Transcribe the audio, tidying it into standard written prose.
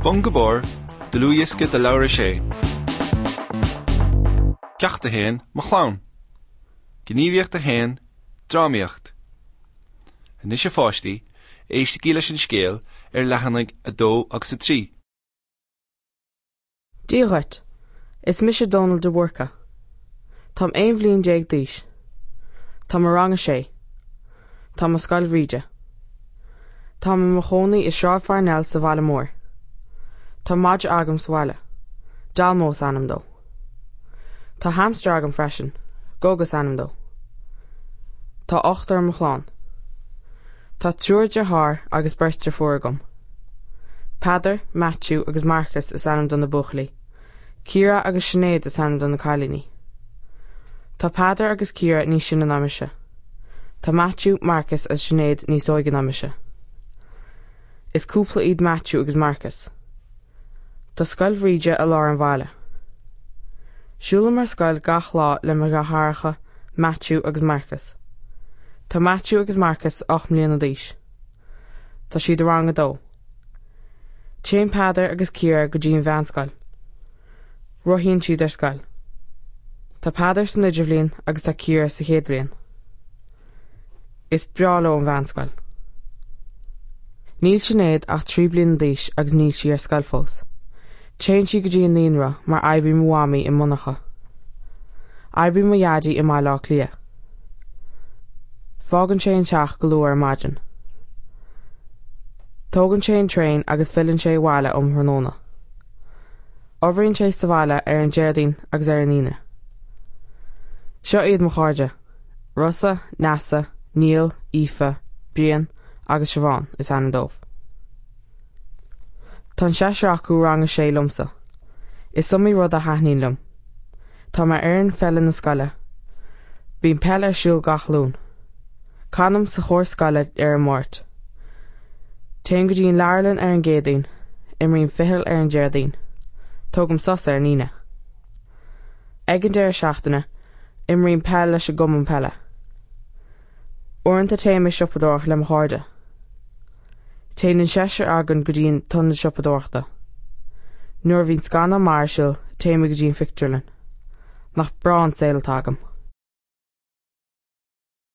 Bun go Barr, Dlúthdhiosca de Leabhar 6. Ceacht 1, Mo Chlann. Gníomhaíocht 1, Drámaíocht. Anois a pháistí, éistigí leis an scéal ar leathanaigh 2 agus 3. Dia dhuit. Is mise Dónal de Búrca. Táim 11 bhliain d'aois. Táim i rang a sé. Táim i Scoil Bhríde. Táim i mo chónaí i Sráid Pharnell sa bhaile mór. Tá madra agam sa bhaile. Dalmó is ainm dó. Tá hamster agam freisin. Gogo is ainm dó. Tá ochtar i mo chlann. Tá triúr deartháir agus beirt deirfiúr agam. Peadar, Maitiú agus Marcus is ainm do na buachaillí. Ciara agus Sinéad is ainm do na cailíní. Tá Peadar agus Ciara níos sine ná mise. Tá Maitiú, Marcus agus Sinéad níos óige ná mise. Is cúpla iad Maitiú agus Marcus. Tá Scoil Bhríde i lár an bhaile. Siúlaim ar scoil gach lá le mo dheartháireacha Maitiú agus Marcus. Tá Maitiú agus Marcus 8 mbliana d'aois. Tá siad i rang a dó. Téann Peadar agus Ciara go dtí an mheánscoil. Rothaíonn siad ar scoil. Tá Peadar san idirbhliain agus tá Ciara sa chéad bhliain. Is breá leo an mheánscoil. Níl Sinéad ach 3 bliana d'aois agus níl sí ar scoil fós. Téann sí go dtí an naíonra mar oibríonn mo mhamaí i monarcha. Oibríonn mo dhaidí i mBaile Átha Cliath. Fágann sé an teach go luath ar maidin. Tógann sé an traein agus filleann sé abhaile um thráthnóna. Oibríonn sé sa bhaile ar an Déardaoin agus ar an Aoine. Seo iad mo chairde, Rossa, Neasa, Niall, Aoife, Brian agus Siobhán is ainm dóibh. Tá an seisear acu i rang a sé liomsa. Is iomaí rud a thaitníonn liom. Táim ar fhoireann pheile na scoile. Bíonn peil ar siúl gach Luan. Canaim sa chór scoile ar an Máirt. Téim go dtí an leabharlann ar an gCéadaoin. Imrím ficheall ar an Déardaoin. Tógaim sos ar an Aoine. Ag an deireadh seachtaine, imrím peil leis an gcumann peile. Uaireanta téim ag siopadóireacht le mo chairde. Téann an seisear againn go dtí an t-ionad siopadóireachta. Nuair a bhíonn scannán maith ar siúl, téimid go dtí an phictiúrlann. Nach breá an saol atá agam!